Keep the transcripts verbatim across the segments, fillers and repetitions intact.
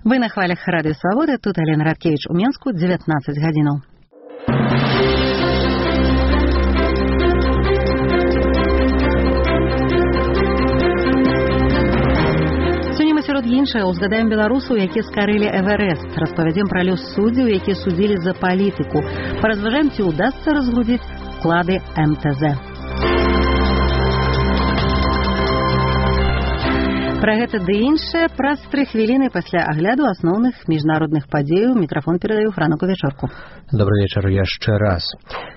Вы на хвалях Радыё Свабода, тут Алена Радкевич у Менску, дзевятнаццаць гадзінаў. Сёння мы сярод іншага ўзгадаем беларусаў, якія скарылі Эверест, распавядзем пра лёс суддзяў, якія судзілі за палітыку, паразважаем, ці ўдасца разгледзець вклады эм тэ зэ. Пра гэта ды іншае праз тры хвіліны пасля агляду асноўных міжнародных падзеяў. Мікрафон перадаю Франуку Вечорку. Добрый вечар яшчэ раз.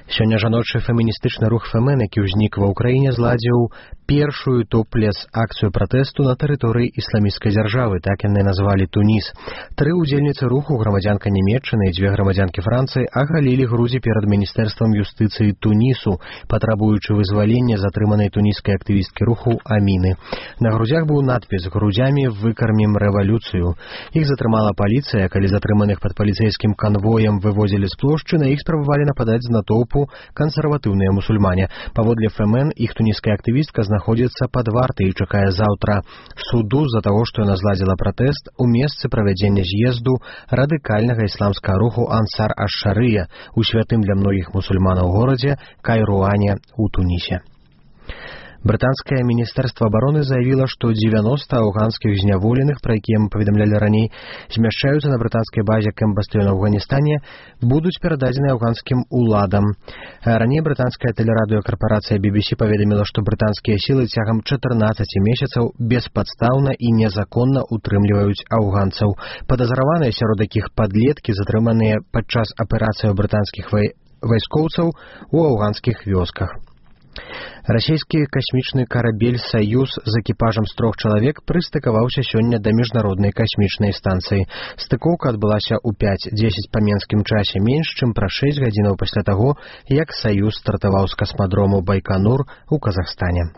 Сёння жаночы феміністычны рух Фемен, які ўзнік ва ўкраіне, зладзіў першую топ-лес акцыю пратэсту на тэрыторыі ісламісцкай дзяржавы, так яны назвалі Туніс. Тры ўдзельніцы руху, грамадзянка Нямецчыны і дзве грамадзянкі Францыі, агалілі грудзі перад міністэрствам юстыцыі Тунісу, патрабуючы вызвалення затрыманай туніскай актывісткі руху Аміны. На грудзях быў надпіс «Грудзямі выкармім рэвалюцыю». Іх затрымала паліцыя, калі затрыманых пад паліцэйскім канвоем вывозілі з плошчы, на іх спрабавалі нападаць з натоўпу кансерватыўныя мусульмане. Паводле Фемен, іх туніская актывістка знаходзіцца пад вартай і чакае заўтра суду з-за таго, што яна зладзіла пратэст у месцы правядзення з'езду радыкальнага ісламскага руху Ансар аш-Шарыя у святым для многіх мусульманаў горадзе Кайруане у Тунісе. Брытанскае міністэрства абароны заявіла, што дзевяноста афганскіх зняволеных, пра якія мы паведамлялі раней, змяшчаюцца на брытанскай базе Кэмп-бастыён у Афганістане, будуць перададзены афганскім уладам. Раней брытанская тэлерадыёкарпарацыя би би сі паведаміла, што брытанскія сілы цягам чатырнаццаці месяцаў беспадстаўна і незаконна утрымліваюць афганцаў. Падазраваныя сярод якіх падлеткі, затрыманыя падчас аперацыяў брытанскіх вай... вайскоўцаў у афганскіх вёсках. Расійскі касмічны карабель «Саюз» з экіпажам з трох чалавек прыстыкаваўся сёння да міжнароднай касмічнай станцыі. Стыкоўка адбылася ў пяць дзесяць па менскім часе, менш чым пра шэсць гадзінаў пасля таго, як «Саюз» стартаваў з касмадрому Байканур у Казахстане.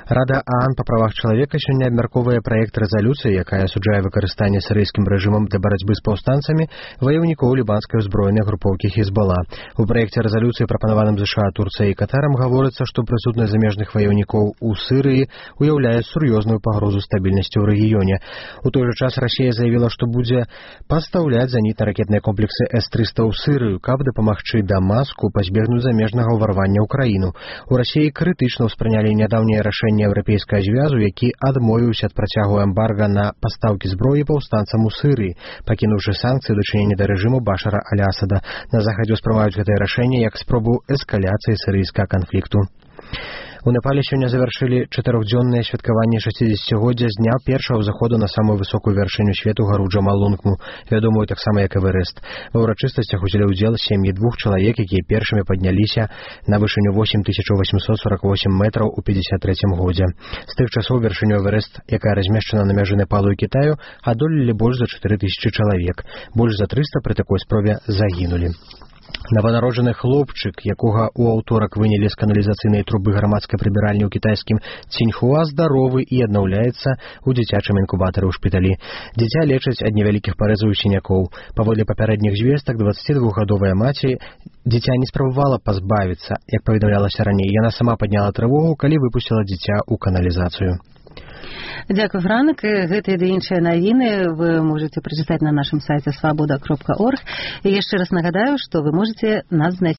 Рада ААН па правах чалавека сёння абмяркоўвае праект рэзалюцыі, якая асуджае выкарыстанне сірыйскім рэжымам для барацьбы з паўстанцамі ваяўнікоў лібанскай узброенай групоўкі Хізбала. У праекце рэзалюцыі, прапанаваным ЗША, Турцыяй і Катарам, гаворыцца, што прысутнасць замежных ваяўнікоў у Сырыі уяўляе сур'ёзную пагрозу стабільнасці ў рэгіёне. У той жа час Расія заявіла, што будзе пастаўляць зенітна-ракетныя комплексы эс трыста ў Сырыю, каб дапамагчы Дамаску пазбегнуць замежнага ўварвання ў краіну. У Расіі крытычна ўспрынялі нядаўняе рашэнне еўрапейскага звязу, які адмовіўся ад працягу эмбарга на пастаўкі зброі паўстанцам у Сырыі, пакінуўшы санкцыі ў дачыненні да рэжыму Башара аль-Асада. На захадзе ўспрымаюць гэтае рашэнне як спробу эскаляцыі сірыйскага канфлікту. У Непале сёння завяршылі чатырохдзённае святкаванне шасцідзесяцігоддзя з дня першага заходу на самую высокую вяршыню свету гару Джамалунгму, вядомую таксама як Эверест. Ва ўрачыстасцях узялі ўдзел сем'і двух чалавек, якія першымі падняліся на вышыню восем тысяч восемьсот сорок восемь метраў у пятьдесят третьем годзе. З тых часоў вяршыню Эверест, якая размешчана на мяжы Непалу і Кітаю, адолелі больш за чатыры тысячы чалавек. Больш за трыста пры такой спробе загінулі. Нованароджаны хлопчык, якога ў аўторак вынялі з каналізацыйнай трубы грамадскай прыбіральні ў кітайскім Ціньхуа, здаровы і аднаўляецца ў дзіцячым інкубатары ў шпіталі. Дзіця лечаць ад невялікіх парэзаў і сінякоў. Паводле папярэдніх звестак, дваццацідвухгадовая маці дзіця не спрабавала пазбавіцца, як паведамлялася раней. Яна сама падняла трывогу, калі выпусціла дзіця ў каналізацыю. Дзякуй, Франк. Гэтыя ды іншыя навіны вы можете прачытаць на нашым сайце свабода кропка орг. І яшчэ раз нагадаю, што вы можете нас знайсці